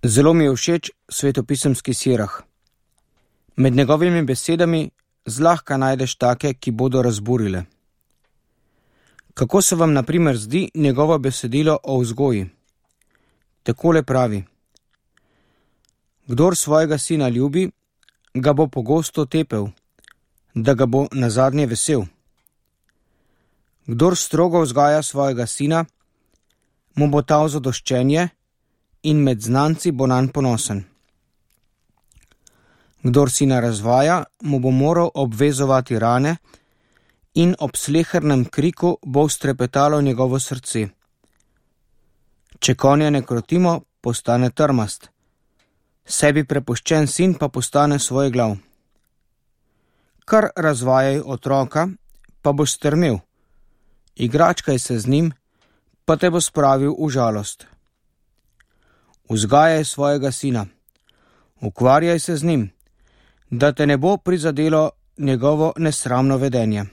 Zelo mi je všeč svetopisemski Sirah. Med njegovimi besedami zlahka najdeš take, ki bodo razburile. Kako se vam na primer zdi njegovo besedilo o vzgoji? Takole pravi: Kdor svojega sina ljubi, ga bo pogosto tepel, da ga bo nazadnje vesel. Kdor strogo vzgaja svojega sina, mu bo ta v zadoščenje in med znanci bo nanj ponosen. Kdor sina razvaja, mu bo moral obvezovati rane in ob slehernem kriku bo strepetalo njegovo srce. Če konja ne krotimo, postane trmast, sebi prepuščen sin pa postane svoj glav. Kar razvajaj otroka, pa boš strmel, igračkaj se z njim, pa te bo spravil v žalost. Vzgajaj svojega sina, ukvarjaj se z njim, da te ne bo prizadelo njegovo nesramno vedenje.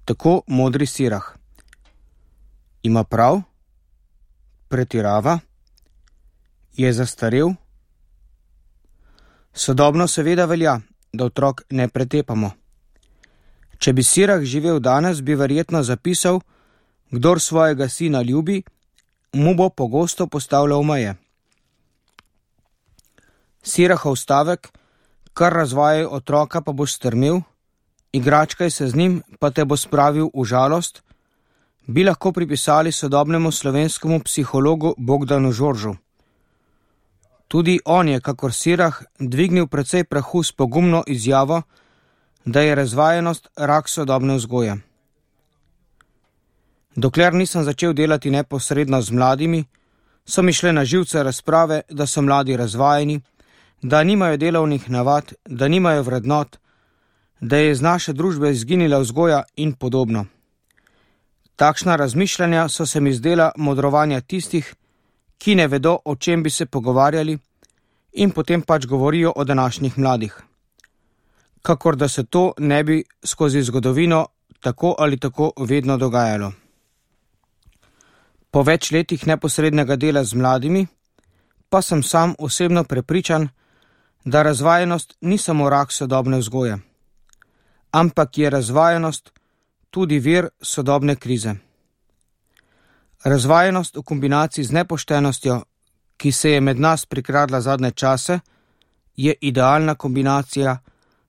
Tako modri Sirah. Ima prav? Pretirava? Je zastarel? Sodobno seveda velja, da otrok ne pretepamo. Če bi Sirah živel danes, bi verjetno zapisal: Kdor svojega sina ljubi, mu bo pogosto postavljal meje. Sirahov stavek, kar razvajaj otroka, pa boš strmel, igračkaj se z njim, pa te bo spravil v žalost, bi lahko pripisali sodobnemu slovenskemu psihologu Bogdanu Žoržu. Tudi on je, kakor Sirah, dvignil precej prahu s pogumno izjavo, da je razvajenost rak sodobne vzgoje. Dokler nisem začel delati neposredno z mladimi, so mi šle na živce razprave, da so mladi razvajeni, da nimajo delovnih navad, da nimajo vrednot, da je iz naše družbe izginila vzgoja in podobno. Takšna razmišljanja so se mi zdela modrovanja tistih, ki ne vedo, o čem bi se pogovarjali, in potem pač govorijo o današnjih mladih. Kakor da se to ne bi skozi zgodovino tako ali tako vedno dogajalo. Po več letih neposrednega dela z mladimi, pa sem sam osebno prepričan, da razvajenost ni samo rak sodobne vzgoje, ampak je razvajenost tudi vir sodobne krize. Razvajenost v kombinaciji z nepoštenostjo, ki se je med nas prikradla zadnje čase, je idealna kombinacija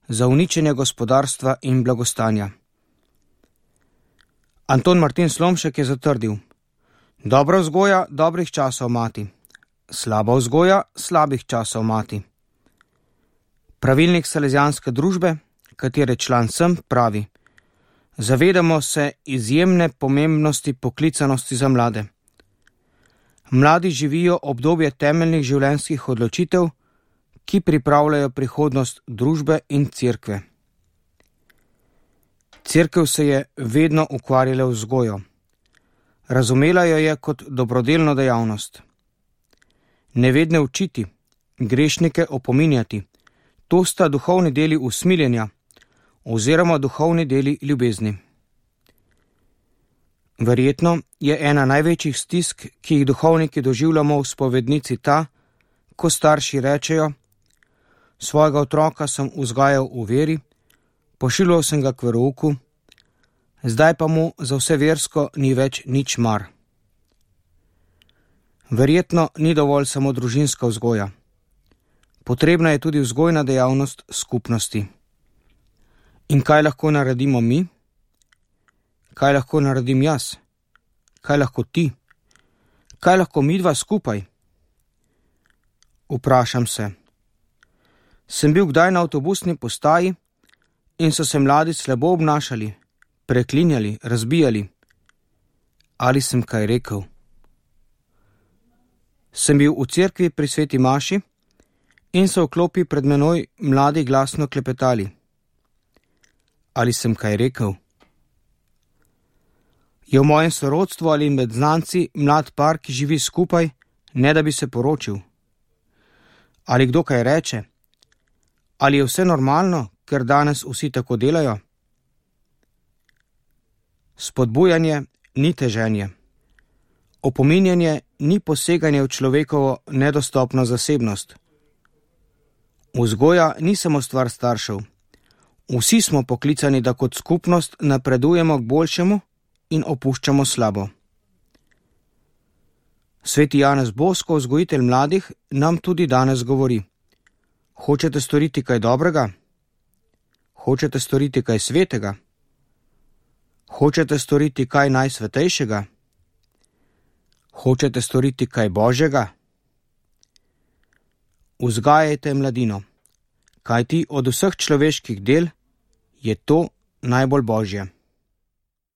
za uničenje gospodarstva in blagostanja. Anton Martin Slomšek je zatrdil: Dobra vzgoja dobrih časov mati, slaba vzgoja slabih časov mati. Pravilnik Salezijanske družbe, katere član sem, pravi: Zavedamo se izjemne pomembnosti poklicanosti za mlade. Mladi živijo obdobje temeljnih življenjskih odločitev, ki pripravljajo prihodnost družbe in cerkve. Cerkev se je vedno ukvarjala z vzgojo. Razumela jo je kot dobrodelno dejavnost. Nevedne učiti, grešnike opominjati, to sta duhovni deli usmiljenja oziroma duhovni deli ljubezni. Verjetno je ena največjih stisk, ki jih duhovniki doživljamo v spovednici, ta, ko starši rečejo: Svojega otroka sem vzgajal v veri, pošiljal sem ga k verouku, zdaj pa mu za vse versko ni več nič mar. Verjetno ni dovolj samo družinska vzgoja. Potrebna je tudi vzgojna dejavnost skupnosti. In kaj lahko naredimo mi? Kaj lahko naredim jaz? Kaj lahko ti? Kaj lahko midva skupaj? Vprašam se. Sem bil kdaj na avtobusni postaji in so se mladi slabo obnašali, preklinjali, razbijali? Ali sem kaj rekel? Sem bil v cerkvi pri sveti maši in so v klopi pred menoj mladi glasno klepetali? Ali sem kaj rekel? Je v mojem sorodstvu ali med znanci mlad par, ki živi skupaj, ne da bi se poročil? Ali kdo kaj reče? Ali je vse normalno, ker danes vsi tako delajo? Spodbujanje ni teženje. Opominjanje ni poseganje v človekovo nedostopno zasebnost. Vzgoja ni samo stvar staršev. Vsi smo poklicani, da kot skupnost napredujemo k boljšemu in opuščamo slabo. Sveti Janez Bosko, vzgojitelj mladih, nam tudi danes govori: hočete storiti kaj dobrega? Hočete storiti kaj svetega? Hočete storiti kaj najsvetejšega? Hočete storiti kaj božjega? Vzgajajte mladino, kajti od vseh človeških del je to najbolj božje.